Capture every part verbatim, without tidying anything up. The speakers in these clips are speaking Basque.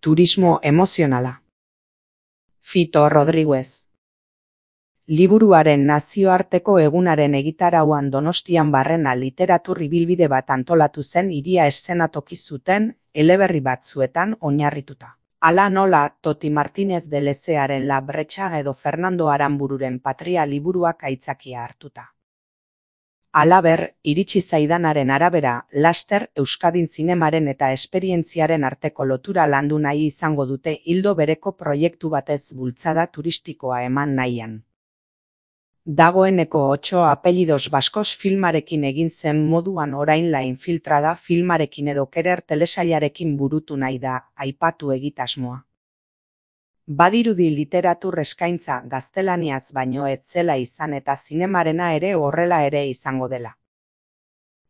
Turismo emozionala. Fito Rodríguez. Liburuaren nazioarteko egunaren egitarauan Donostian barrena literatur ibilbide bat antolatu zen hiria eszenatoki zuten eleberri batzuetan oinarrituta. Hala nola Toti Martínez de Lezearen La Brecha edo Fernando Aranbururen Patria liburuak aitzakia hartuta. Halaber, iritsi zaidanaren arabera, laster Euskadin zinemaren eta esperientziaren arteko lotura landu nahi izango dute ildo bereko proiektu batez bultzada turistikoa eman nahian. Dagoeneko Otxo apellidos baskos filmarekin egin zen moduan orain La Infiltrada filmarekin edo Kerer telesailarekin burutu nahi da aipatu egitasmoa. Badirudi literatur eskaintza gaztelaniaz baino ez zela izan eta zinemarena ere horrela ere izango dela.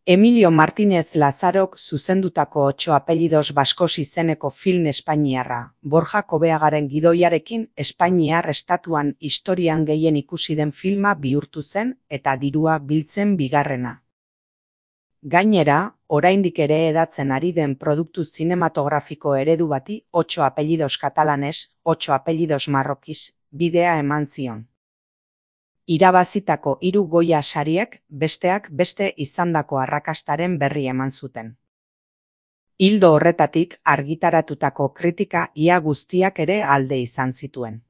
Emilio Martínez Lazarok zuzendutako Otxo apellidos baskos izeneko film espainiarra, Borja Kobeagaren gidoiarekin Espainiar estatuan historian gehien ikusi den filma bihurtu zen eta dirua biltzen bigarrena. Gainera, oraindik ere hedatzen ari den produktu zinematografiko eredu bati Otxo apellidos katalanes, Otxo apellidos marrokiz, bidea eman zion. Irabazitako hiru Goya sariek besteak beste izandako arrakastaren berri eman zuten. Ildo horretatik argitaratutako kritika ia guztiak ere alde izan zituen.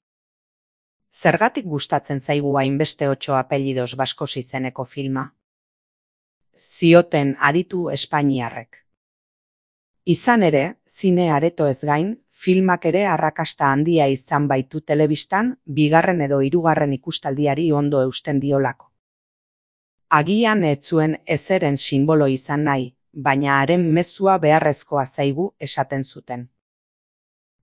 Zergatik gustatzen zaigu hainbeste Otxo apellidos baskos izeneko filma? Zioten aditu espainiarrek. Izan ere, zine aretoez gain, filmak ere arrakasta handia izan baitu telebistan, bigarren edo hirugarren ikustaldiari ondo eusten diolako. Agian ez zuen ezeren sinbolo izan nahi, baina haren mezua beharrezkoa zaigu esaten zuten.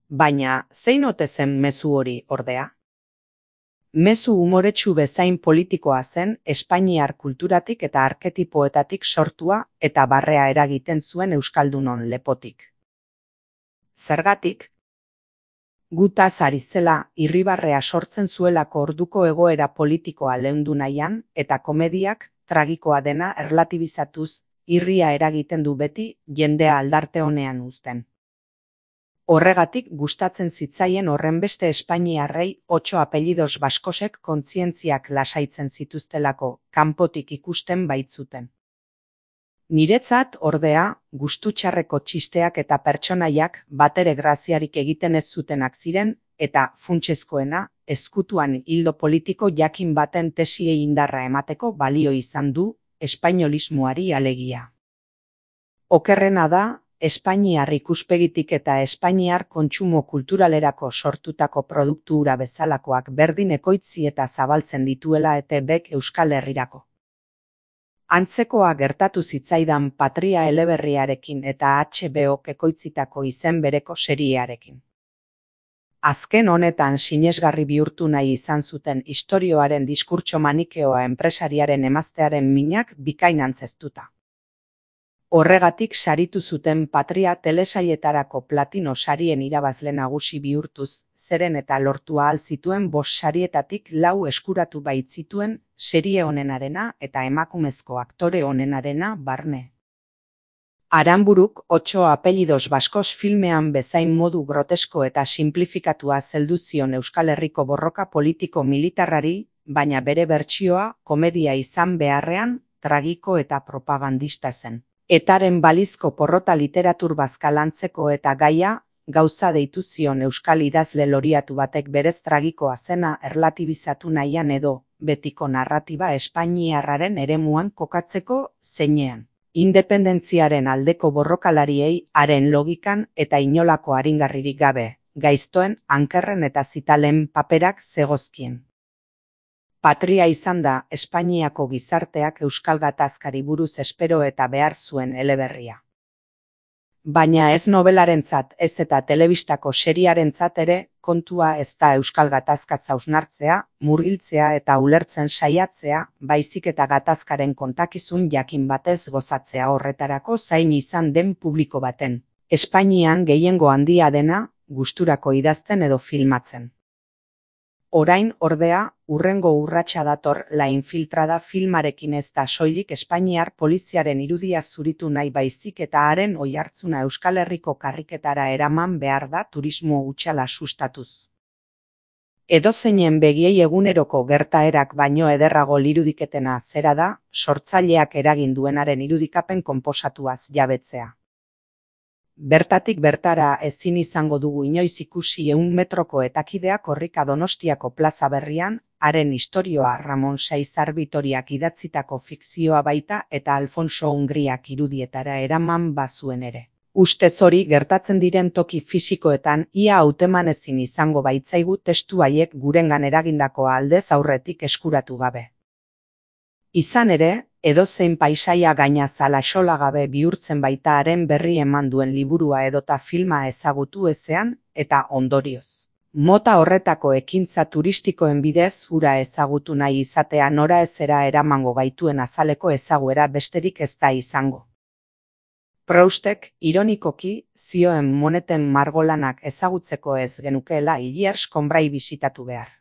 Baina, zein ote zen mezu hori ordea? Mezu umoretsu bezain politikoa zen espainiar kulturatik eta arketipoetatik sortua eta barrea eragiten zuen euskaldunon lepotik. Zergatik? Gutaz ari zela irribarrea sortzen zuelako orduko egoera politikoa leundu nahian eta komediak tragikoa dena erlatibizatuz irria eragiten du beti jendea aldarte honean uzten. Horregatik gustatzen zitzaien horrenbeste espainiarrei Otxo apellidos baskosek kontzientziak lasaitzen zituztelako kanpotik ikusten baitzuten. Niretzat, ordea, gustutxarreko txisteak eta pertsonaiak batere graziarik egiten ez zutenak ziren eta funtsezkoena ezkutuan ildo politiko jakin baten tesiei indarra emateko balio izan du espainolismoari alegia. Okerrena da, Espainiar ikuspegitik eta espainiar kontsumo kulturalerako sortutako produktu hura bezalakoak berdin ekoitzi eta zabaltzen dituela E T Bek Euskal Herrirako. Antzekoa gertatu zitzaidan Patria eleberriarekin eta H B Ok ekoitzitako izen bereko seriearekin. Azken honetan sinesgarri bihurtu nahi izan zuten istorioaren diskurtso manikeoa enpresariaren emaztearen minak bikain antzeztuta. Horregatik saritu zuten Patria telesailetarako platino sarien irabazle nagusi bihurtuz, zeren eta lortu ahal zituen bost sarietatik lau eskuratu baitzituen serie onenarena eta emakumezko aktore onenarena barne. Aranburuk Otxo apellidos baskos filmean bezain modu grotesko eta simplifikatua zeldu zion Euskal Herriko borroka politiko militarrari, baina bere bertsioa komedia izan beharrean tragiko eta propagandista zen. Etaren balizko porrota literatur bazka lantzeko eta gaia, gauza deitu zion euskal idazle loriatu batek berez tragikoa zena erlatibizatu nahian edo, betiko narratiba espainiarraren eremuan kokatzeko zeinean. Independentziaren aldeko borrokalariei haren logikan eta inolako aringarririk gabe, gaiztoen, ankerren eta zitalen paperak zegozkien. Patria izan da Espainiako gizarteak euskal gatazkari buruz espero eta behar zuen eleberria. Baina ez nobelarentzat ez eta telebistako seriarentzat ere kontua ez da euskal gatazka hausnartzea, murgiltzea eta ulertzen saiatzea, baizik eta gatazkaren kontakizun jakin batez gozatzea horretarako zain izan den publiko baten. Espainian gehiengo handia dena, gusturako idazten edo filmatzen. Orain, ordea, hurrengo urratsa dator La Infiltrada filmarekin ez da soilik Espainiar poliziaren irudia zuritu nahi baizik eta haren oihartzuna Euskal Herriko karriketara eraman behar da turismo hutsala sustatuz. Edozeinen begiei eguneroko gertaerak baino ederrago lirudiketena zera da, sortzaileak eragin duenaren irudikapen konposatuaz jabetzea. Bertatik bertara ezin izango dugu inoiz ikusi ehun metroko etakidea korrika Donostiako plaza berrian, haren istorioa Ramon Saizar Bitoriak idatzitako fikzioa baita eta Alfonso Ungriak irudietara eraman bazuen ere. Ustez hori gertatzen diren toki fisikoetan ia hauteman ezin izango baitzaigu testu haiek gurengan eragindakoa aldez aurretik eskuratu gabe. Izan ere, edozein paisaia gainazal axolagabe bihurtzen baita haren berri eman duen liburua edota filma ezagutu ezean, eta ondorioz. Mota horretako ekintza turistikoen bidez hura ezagutu nahi izatea nora ezera eramango gaituen azaleko ezaguera besterik ez da izango. Proustek, ironikoki, zioen moneten margolanak ezagutzeko ez genukeela Illiers Combray bisitatu behar.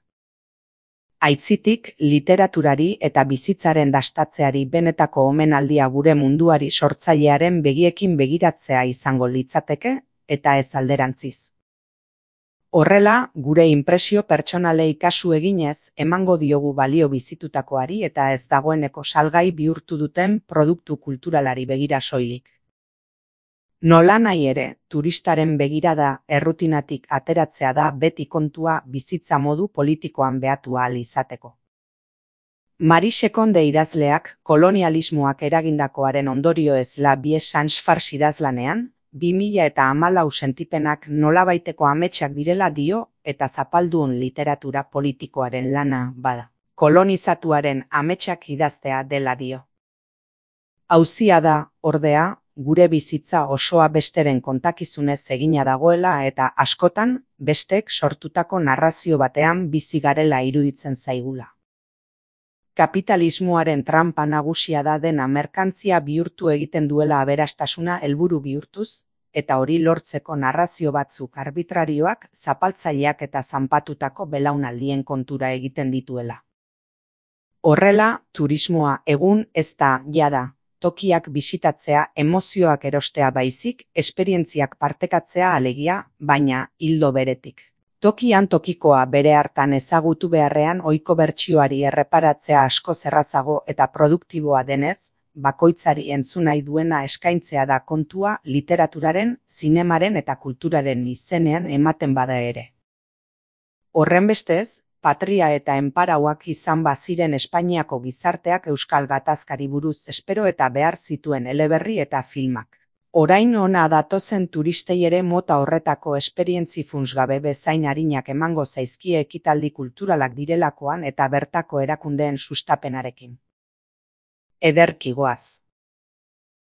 Aitzitik, literaturari eta bizitzaren dastatzeari benetako omenaldia gure munduari sortzailearen begiekin begiratzea izango litzateke, eta ez alderantziz. Horrela, gure inpresio pertsonalei kasu eginez emango diogu balio bizitutakoari eta ez dagoeneko salgai bihurtu duten produktu kulturalari begira soilik. Nolanahi ere, turistaren begirada errutinatik ateratzea da beti kontua bizitza modu politikoan behatu ahal izateko. Marie Konde idazleak kolonialismoak eragindakoaren ondorioez La Vie Sans Farce idazlanean, bi mila eta hamalau sentipenak nolabaiteko ametsak direla dio eta zapaldun literatura politikoaren lana bada. Kolonizatuaren ametsak idaztea dela dio. Auzia da, ordea, gure bizitza osoa besteren kontakizunez egina dagoela eta askotan bestek sortutako narrazio batean bizi garela iruditzen zaigula. Kapitalismoaren tranpa nagusia da dena merkantzia bihurtu egiten duela aberastasuna helburu bihurtuz, eta hori lortzeko narrazio batzuk arbitrarioak zapaltzaileak eta zanpatutako belaunaldien kontura egiten dituela. Horrela, turismoa egun ez da, jada, tokiak bisitatzea emozioak erostea baizik, esperientziak partekatzea alegia, baina hildo beretik. Tokian tokikoa bere hartan ezagutu beharrean ohiko bertsioari erreparatzea asko errazago eta produktiboa denez, bakoitzari entzun nahi duena eskaintzea da kontua literaturaren, zinemaren eta kulturaren izenean ematen bada ere. Horrenbestez, patria eta enparauak izan baziren Espainiako gizarteak euskal gatazkari buruz espero eta behar zituen eleberri eta filmak. Orain ona datozen turistei ere mota horretako esperientzi funtsgabe bezain arinak emango zaizkie ekitaldi kulturalak direlakoan eta bertako erakundeen sustapenarekin. Ederki goaz.